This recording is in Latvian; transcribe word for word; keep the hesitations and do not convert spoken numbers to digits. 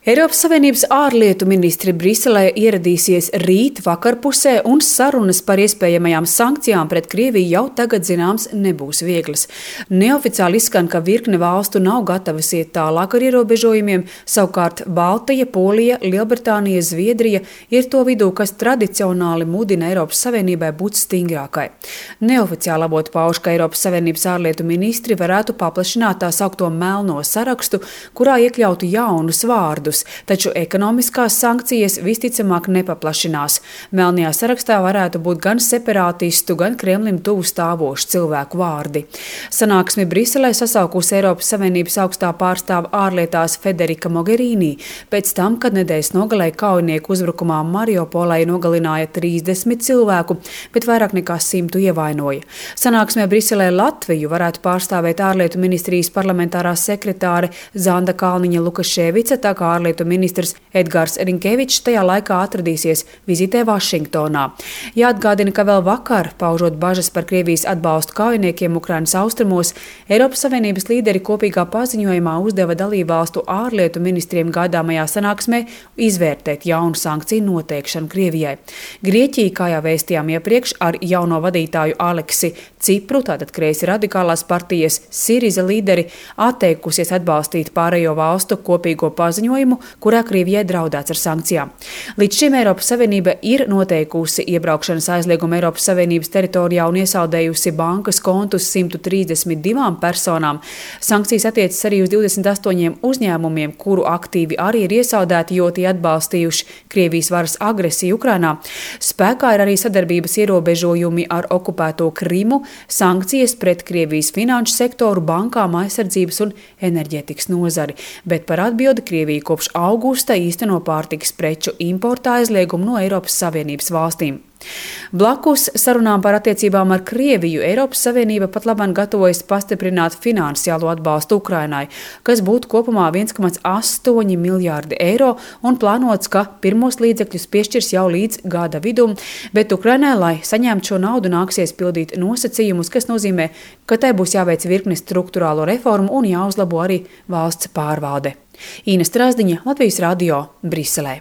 Eiropas Savienības ārlietu ministri Briselē ieradīsies rīt vakarpusē, un sarunas par iespējamajām sankcijām pret Krieviju jau tagad zināms nebūs vieglas. Neoficiāli izskan, ka virkne valstu nav gatavas iet tālāk ar ierobežojumiem, savukārt Baltija, Polija, Lielbritānija, Zviedrija ir to vidū, kas tradicionāli mudina Eiropas Savienībai būt stingrākai. Neoficiāli avoti pauž, ka Eiropas Savienības ārlietu ministri varētu paplašināt tā saukto melno sarakstu, kurā iekļautu jaunus vārdus. Taču ekonomiskās sankcijas visticamāk nepaplašinās. Melnajā sarakstā varētu būt gan separātistu, gan Kremlim tuvu stāvošu cilvēku vārdi. Sanāksmi Briselē sasaukusi Eiropas Savienības augstā pārstāve ārlietās Federika Mogherini, pēc tam, kad nedēļas nogalē kaujinieku uzbrukumā Mariupolē nogalināja trīsdesmit cilvēku, bet vairāk nekā simtu ievainoja. Sanāksmē Briselē Latviju varētu pārstāvēt ārlietu ministrijas parlamentārā sekretāre Zanda Kalniņa Lukaševica, tā kā ārlietu ministrs Edgars Rinkevičs tajā laikā atradīsies vizītē Vašingtonā. Jāatgādina, ka vēl vakar, paužot bažas par Krievijas atbalstu kaujiniekiem Ukrainas austrumos, Eiropas Savienības līderi kopīgā paziņojumā uzdeva dalībvalstu ārlietu ministriem gaidāmajā sanāksmē izvērtēt jaunu sankciju noteikšanu Krievijai. Grieķija, kā jau vēstījām iepriekš, ar jauno vadītāju Aleksi Cipru, tātad kreisi radikālās partijas Siriza līderi, atteikusies atbalstīt pārējo valstu kopīgo paziņojumu, kurā Krievijai draudēts ar sankcijām. Līdz šim Eiropas Savienība ir noteikusi iebraukšanas aizliegumu Eiropas Savienības teritorijā un iesaldējusi bankas kontus simt trīsdesmit divām personām. Sankcijas attiecas arī uz divdesmit astoņiem uzņēmumiem, kuru aktīvi arī ir iesaldēti, jo tie atbalstījuši Krievijas varas agresiju Ukrainā. Spēkā ir arī sadarbības ierobežojumi ar okupēto Krimu, sankcijas pret Krievijas finanšu sektoru, bankām, aizsardzības un enerģētikas nozari, bet par atbildi Krievija kopš augusta īsteno pārtikas preču importa aizliegumu no Eiropas Savienības valstīm. Blakus sarunām par attiecībām ar Krieviju Eiropas Savienība pat labāk gatavojas pastiprināt finansiālo atbalstu Ukrainai, kas būtu kopumā viens komats astoņi miljārdi eiro un plānots, ka pirmos līdzekļus piešķirs jau līdz gada vidum, bet Ukrainai, lai saņemtu šo naudu, nāksies pildīt nosacījumus, kas nozīmē, ka tai būs jāveic virkne struktūrālo reformu un jāuzlabo arī valsts pārvalde. Īna Strasdiņa, Latvijas radio, Briselē.